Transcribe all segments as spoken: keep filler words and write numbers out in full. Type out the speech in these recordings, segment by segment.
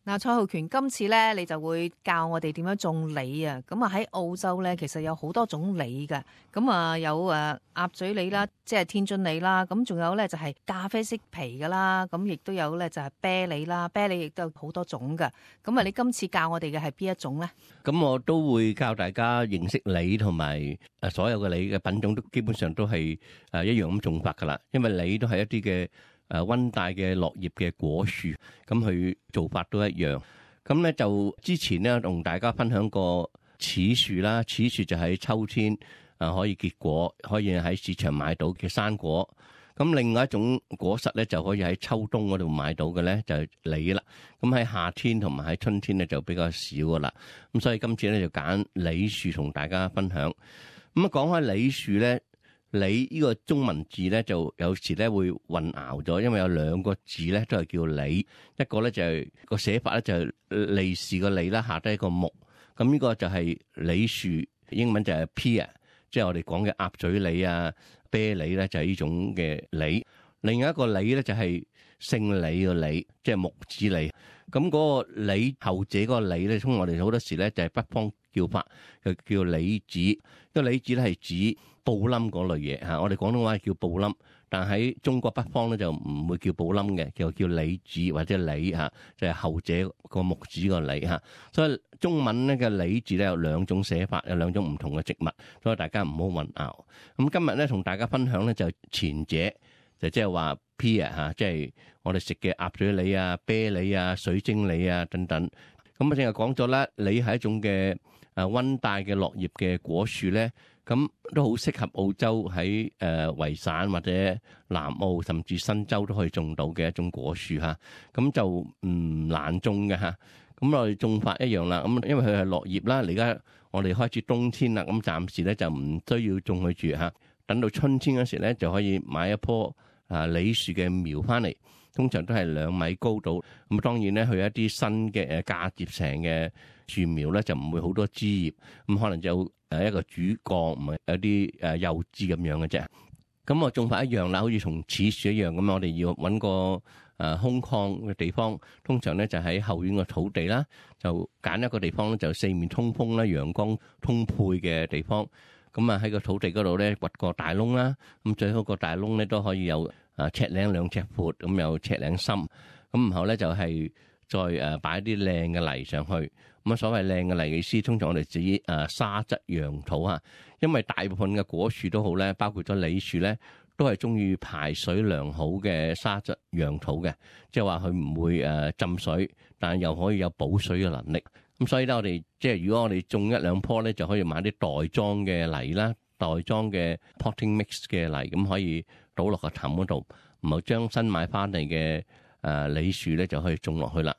嗱，蔡浩權今次咧，你就會教我哋點樣種梨啊！咁啊喺澳洲咧，其實有好多種梨嘅，咁啊有誒鴨嘴梨啦，即係天津梨啦，咁仲有咧就係咖啡色皮噶啦，咁亦都有咧就係啤梨啦，啤梨亦都有好多種嘅。咁啊，你今次教我哋嘅係邊一種咧？咁我都會教大家認識梨同埋誒所有嘅梨嘅品種都基本上都係誒一樣咁種法噶啦，因為梨都係一啲嘅誒溫帶嘅落葉嘅果樹，咁佢做法都一樣。咁咧就之前咧同大家分享過柿樹啦，柿樹就喺秋天啊可以結果，可以喺市場買到嘅生果。咁另外一種果實咧就可以喺秋冬嗰度買到嘅咧就係梨啦。咁喺夏天同埋喺春天咧就比較少噶啦。咁所以今次咧就揀梨樹同大家分享。咁啊講開梨樹咧。梨呢個中文字咧就有時咧會混淆咗，因為有兩個字咧都係叫梨，一個咧就係個寫法咧就係利是個利啦，下低一個木，咁呢個就係梨樹，英文就係 pear， 即係我哋講嘅鴨嘴梨啊、啤梨咧就係呢種嘅梨。另外一個梨咧就係姓李個李，即係木子李。咁嗰個李後者嗰個李咧，通我哋好多時咧就係北方叫法，就叫李子。因為李子咧係指布冧嗰類嘢嚇，我哋廣東話叫布冧，但喺中國北方咧就唔會叫布冧嘅，叫叫李子或者李嚇，就係後者個木子個李嚇。所以中文咧嘅李字咧有兩種寫法，有兩種唔同嘅植物，所以大家唔好混淆。咁今日咧同大家分享咧就前者。就即係話 pear 嚇，即係我哋食嘅鴨嘴梨啊、啤梨啊、水晶梨啊等等。咁啊，正係講咗啦，梨係一種嘅誒溫帶嘅落葉嘅果樹咧，咁都好適合澳洲喺誒維省或者南澳甚至新州都可以種到嘅一種果樹嚇。咁就唔難種嘅嚇。咁我哋種法一樣啦。咁因為佢係落葉啦，而家我哋開始冬天啦，咁暫時咧就唔需要種佢住嚇。等到春天嗰時咧，就可以買一棵啊梨樹嘅苗翻嚟，通常都係兩米高度。咁當然咧，佢一啲新嘅誒嫁接成嘅樹苗咧，就唔會好多枝葉，咁可能就誒一個主幹，唔係有啲誒幼枝咁樣嘅啫。咁我種法一樣啦，好似從柿樹一樣咁，我哋要揾個誒空曠嘅地方，通常咧就喺後院嘅土地啦，就揀一個地方咧，就四面通風啦，陽光通配嘅地方。咁啊喺個土地嗰度咧掘個大窿啦，咁最好個大窿咧都可以有啊尺零兩尺闊，咁有尺零深，咁然後咧就係再誒擺啲靚嘅泥上去。咁啊所謂靚嘅泥嘅意思，通常我哋指誒沙質揚土啊，因為大部分嘅果樹都好咧，包括咗梨樹咧，都係中意排水良好嘅沙質揚土嘅，即係話佢唔會誒浸水，但係又可以有補水嘅能力。咁所以咧，我哋即係如果我哋種一兩棵咧，就可以買啲袋裝嘅泥啦，袋裝嘅 potting mix 嘅泥，咁可以倒落個氹嗰度，唔係將新買翻嚟嘅誒梨樹咧就可以種落去啦。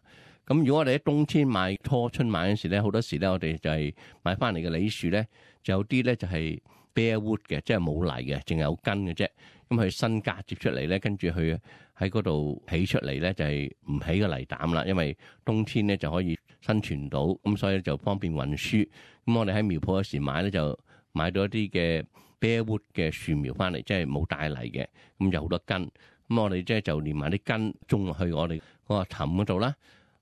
咁如果我哋喺冬天買初春買嗰時咧，好多時咧我哋就係買翻嚟嘅梨樹咧，就有啲咧就係 bare wood 嘅，即係冇泥嘅，淨係有根嘅啫。咁佢新嫁接出嚟咧，跟住佢喺嗰度起出嚟咧，就係唔起個泥膽啦，因為冬天咧就可以生存到，咁所以就方便運輸。咁我哋喺苗圃嗰時買咧，就買到一啲嘅 bare wood 嘅樹苗翻嚟，即係冇帶泥嘅，咁有好多根。咁我哋即係就連埋啲根種落去我哋嗰個氹嗰度啦。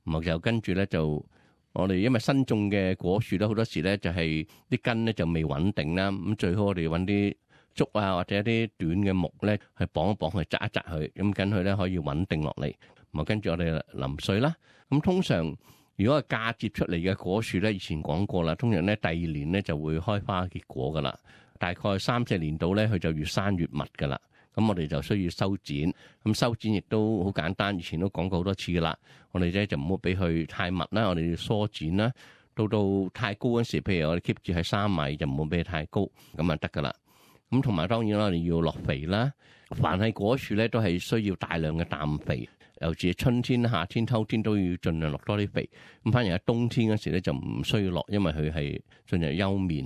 咁就跟住咧就我哋因為新種嘅果樹咧，好多時咧就係啲根咧就未穩定啦。咁最好我哋揾啲竹啊，或者一啲短嘅木咧，去綁一綁佢，紮一紮佢，咁跟佢咧可以穩定落嚟。咁啊，跟住我哋淋水啦。咁通常如果係嫁接出嚟嘅果樹咧，以前講過啦，通常咧第二年咧就會開花結果噶啦。大概三四年度咧，佢就越生越密噶啦。咁我哋就需要修剪。咁修剪亦都好簡單，以前都講過好多次噶啦。我哋咧就唔好俾佢太密啦，我哋要疏剪啦。到到太高嗰時，譬如我哋 keep 住喺三米，就唔好俾佢太高，咁啊得噶啦。咁同埋當然啦，我哋要落肥啦。凡係果樹咧，都係需要大量嘅氮肥，尤其是春天、夏天、秋天都要盡量落多啲肥。咁反而喺冬天嗰時咧就唔需要落，因為佢係進入休眠。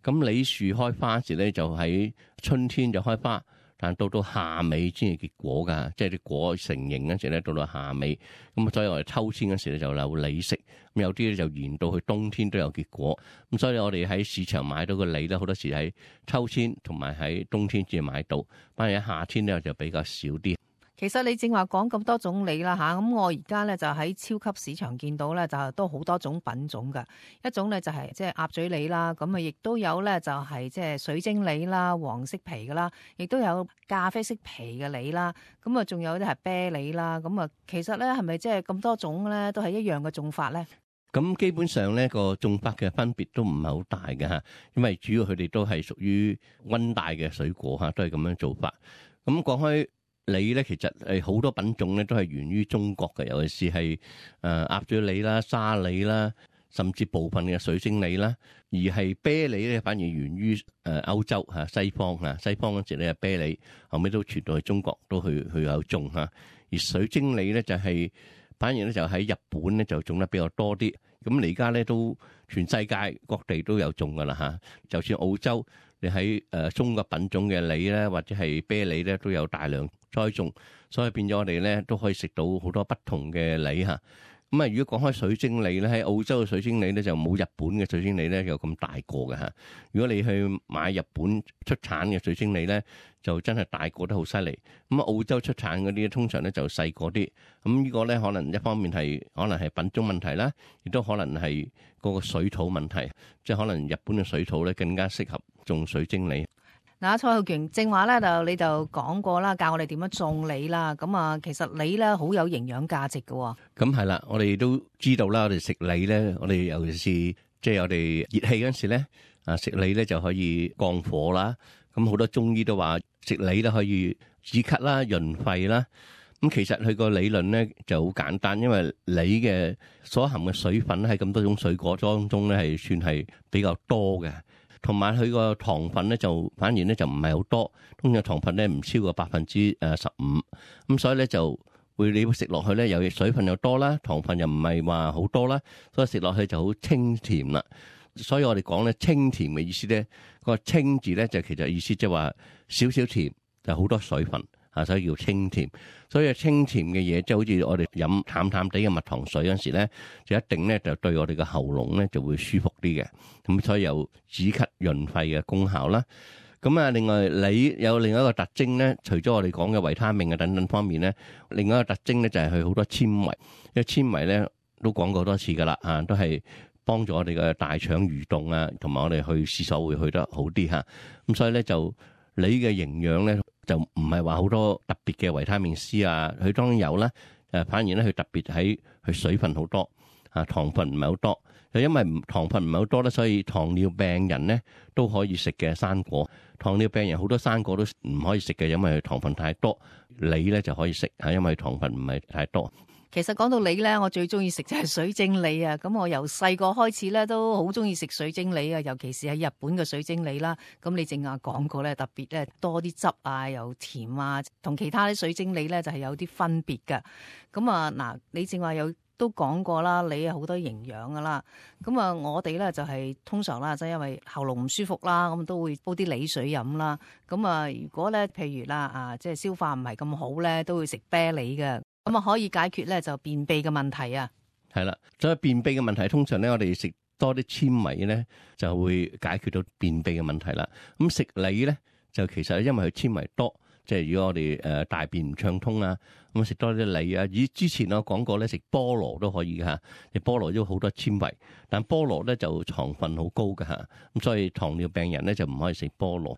咁梨樹開花時咧就喺春天就開花。但到到夏尾先至結果㗎，即係啲果成形嗰時咧，到到夏尾咁，所以我哋秋天嗰時咧就有梨食，咁有啲咧就延到去冬天都有結果。咁所以我哋喺市場買到個梨咧，好多時喺秋天同埋喺冬天至買到，反而喺夏天咧就比較少啲。其實你正話講咁多種梨啦吓，咁我而家咧就喺超級市場見到咧就都好多種品種噶，一種咧就係即係鴨嘴梨啦，咁啊亦都有咧就係即係水晶梨啦，黃色皮噶啦，亦都有咖啡色皮嘅梨啦，咁啊仲有啲係啤梨啦，咁啊其實咧係咪即係咁多種咧都係一樣嘅種法咧？咁基本上咧個種法嘅分別都唔係好大嘅嚇，因為主要佢哋都係屬於溫帶嘅水果嚇，都係咁樣做法。咁講開梨咧，其實係好多品種咧都係源於中國嘅，尤其是係誒鴨嘴梨啦、沙梨啦，甚至部分嘅水晶梨啦。而係啤梨咧，反而源於誒歐洲嚇、西方嚇。西方嗰時咧，啤梨後尾都傳到去中國，都去去有種嚇。而水晶梨咧就係反而咧就喺日本咧就種得比較多啲。咁你而家咧都全世界各地都有種噶啦嚇，就算澳洲你喺誒中國品種嘅梨咧，或者係啤梨咧，都有大量栽種，所以變咗我哋咧都可以食到好多不同嘅梨嚇。咁啊，如果講開水晶梨咧，喺澳洲嘅水晶梨咧就冇日本嘅水晶梨咧有咁大個嘅嚇。如果你去買日本出產嘅水晶梨咧，就真係大個得好犀利。咁啊，澳洲出產嗰啲通常咧就細個啲。咁呢個咧可能一方面係可能係品種問題啦，亦都可能係嗰個水土問題，即係可能日本嘅水土咧更加適合種水晶梨。嗱，蔡浩權正話咧就你就講過啦，教我哋點樣種梨啦。咁啊，其實梨咧好有營養價值嘅。咁係啦，我哋都知道啦，我哋食梨咧，我哋尤其是即係我哋熱氣嗰陣時咧，啊食梨咧就可以降火啦。咁好多中醫都話食梨咧可以止咳啦、潤肺啦。咁其實佢個理論咧就好簡單，因為梨嘅所含嘅水分喺咁多種水果當中咧係算係比較多嘅。同埋佢個糖分咧就反而咧就唔係好多，通常糖分咧唔超過百分之誒十五，咁所以咧就會你食落去咧有水分又多啦，糖分又唔係話好多啦，所以食落去就好清甜啦。所以我哋講咧清甜嘅意思咧，個清字咧就其實意思即係話少少甜就好多水分啊，所以叫清甜。所以清甜嘅嘢即係好似我哋飲淡淡地嘅蜜糖水嗰陣時咧，就一定咧就對我哋嘅喉嚨咧就會舒服啲嘅。咁所以有止咳潤肺嘅功效啦。咁啊，另外梨有另外一個特徵咧，除咗我哋講嘅維他命啊等等方面咧，另外一個特徵咧就係佢好多纖維。因為纖維咧都講過多次噶啦，啊都係幫助我哋嘅大腸蠕動啊，同埋我哋去廁所會去得好啲嚇。咁所以咧就梨嘅營養咧就唔係話好多特別嘅維他命 C 啊，佢當然有啦。誒，反而咧佢特別喺佢水分好多啊，糖分唔係好多。就因為糖分唔係好多咧，所以糖尿病人咧都可以食嘅生果。糖尿病人好多生果都唔可以食嘅，因為佢糖分太多。梨咧就可以食嚇，因為糖分唔係太多。其實講到梨咧，我最中意食就係水晶梨啊！咁我由細個開始咧，都好中意食水晶梨啊，尤其是喺日本嘅水晶梨啦。咁你正話講過咧，特別咧多啲汁啊，又甜啊，同其他啲水晶梨咧就係有啲分別㗎。咁啊嗱，你正話有都講過啦，梨有好多營養噶啦。咁啊，我哋咧就係通常啦，即係因為喉嚨唔舒服啦，咁都會煲啲梨水飲啦。咁啊，如果咧譬如啦啊，即係消化唔係咁好咧，都會食啤梨嘅。咁啊，可以解決咧就便秘嘅問題啊。係啦，所以便秘嘅問題，通常咧我哋食多啲纖維咧，就會解決到便秘嘅問題啦。咁食梨咧，就其實因為佢纖維多，即係如果我哋誒大便唔暢通啊，咁食多啲梨啊。以之前我講過咧，食菠蘿都可以嘅嚇，食菠蘿都好多纖維，但菠蘿咧就糖分好高嘅嚇，咁所以糖尿病人咧就唔可以食菠蘿。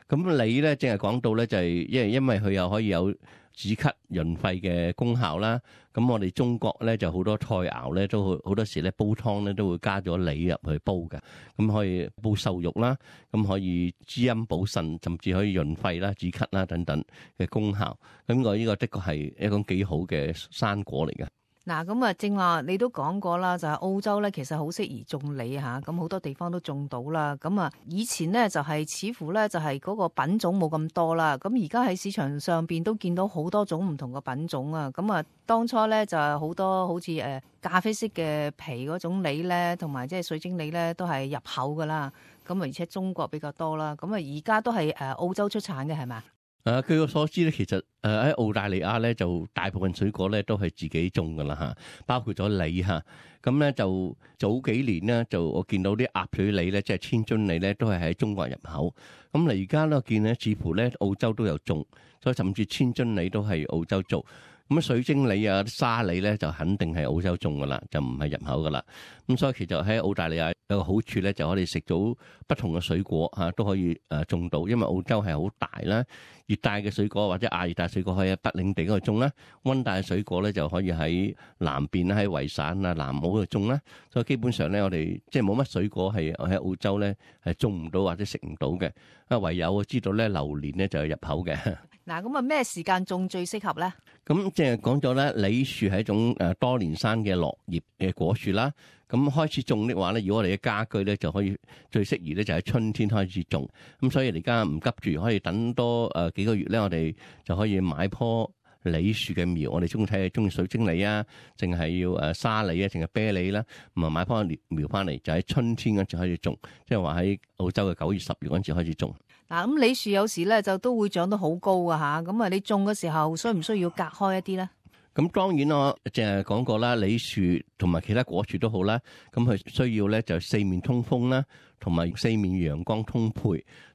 咁梨咧，正係講到咧，就係因為因為佢又可以有止咳潤肺嘅功效啦。咁我哋中國咧就好多菜肴咧，都好好多時咧煲湯咧都會加咗梨入去煲嘅。咁可以煲瘦肉啦，咁可以滋陰補腎，甚至可以潤肺啦、止咳啦等等嘅功效。咁我呢個的確係一種幾好嘅生果嚟嘅。嗱，咁啊，正話你都講過啦，就係澳洲咧，其實好適宜種梨嚇，咁好多地方都種到啦。咁啊，以前咧就係似乎咧就係嗰個品種冇咁多啦。咁而家喺市場上邊都見到好多種唔同嘅品種啊。咁啊，當初咧就係好多好似誒咖啡色嘅皮嗰種梨咧，同埋即係水晶梨咧，都係入口噶啦。咁啊，而且中國比較多啦。咁啊，而家都係誒澳洲出產嘅係咪？誒，據我所知咧，其實誒喺澳大利亞咧，就大部分水果咧都係自己種噶啦嚇，包括咗梨嚇。咁咧就早幾年咧，就我見到啲鴨嘴梨咧，即係千樽梨咧，都係喺中國入口。咁嚟而家咧，我見咧似乎咧澳洲都有種，所以甚至千樽梨都係澳洲做。咁水晶梨啊、沙梨咧，就肯定係澳洲種噶啦，就唔係入口噶啦。咁所以其實喺澳大利亞有個好處咧，就可以食到不同嘅水果嚇，都可以誒種到。因為澳洲係好大啦，熱帶嘅水果或者亞熱帶水果可以喺北領地嗰度種啦，溫帶嘅水果咧就可以喺南邊喺維省啊、南澳度種啦。所以基本上咧，我哋即係冇乜水果係喺澳洲咧係種唔到或者食唔到嘅。啊，唯有我知道咧，榴蓮咧就係入口嘅。嗱，咁啊咩時間種最適合咧？咁即係講咗咧，梨樹係一種誒多年生嘅落葉嘅果樹啦。咁開始種的話咧，如果我哋嘅家居咧就可以最適宜咧就喺春天開始種。咁所以而家唔急住，可以等多誒幾個月咧，我哋就可以買棵梨樹嘅苗。我哋中意睇下中意水晶梨啊，淨係要誒沙梨啊，淨係啤梨啦，唔係買棵苗翻嚟，就喺春天嗰陣開始種，即係話喺澳洲嘅九月、十月嗰陣開始種。嗱，咁梨樹有時咧就都會長得好高啊吓，咁啊你種嘅時候需唔需要隔開一啲咧？咁當然我淨係講過啦，梨樹同埋其他果樹都好啦，咁佢需要咧就四面通風啦，同埋四面陽光通配。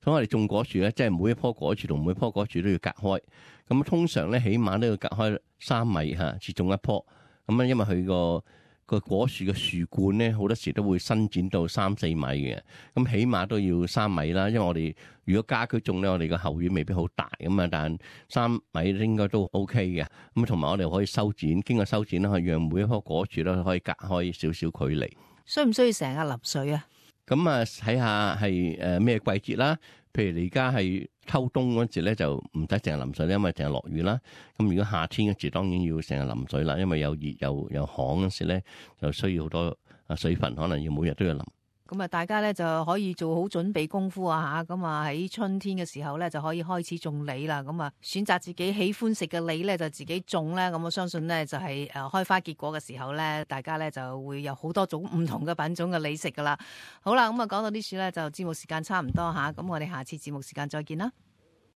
所以我哋種果樹咧，即係每一棵果樹同每一棵果樹都要隔開。咁通常咧，起碼都要隔開三米嚇，至種一棵。咁啊，因為佢個個果樹嘅樹冠咧，好多時都會伸展到三四米嘅，咁起碼都要三米啦。因為我哋如果家居種咧，我哋個後院未必好大咁啊，但三米應該都 OK 嘅。咁同埋我哋可以修剪，經過修剪咧，可以讓每一棵果樹咧可以隔開少少距離。需唔需要成日淋水啊？咁啊，睇下係誒咩季節啦。譬如你而家係秋冬嗰時咧，就唔使成日淋水咧，因為成日落雨啦。咁如果夏天嗰時，當然要成日淋水啦，因為有熱又有旱嗰時咧，就需要好多啊水分，可能要每日都要淋。咁啊，大家咧就可以做好準備功夫啊嚇，咁啊喺春天嘅時候咧就可以開始種梨啦。咁啊，選擇自己喜歡食嘅梨咧就自己種咧。咁我相信咧就係誒開花結果嘅時候咧，大家咧就會有好多種唔同嘅品種嘅梨食噶啦。好啦，咁啊講到呢處咧就節目時間差唔多嚇，咁我哋下次節目時間再見啦。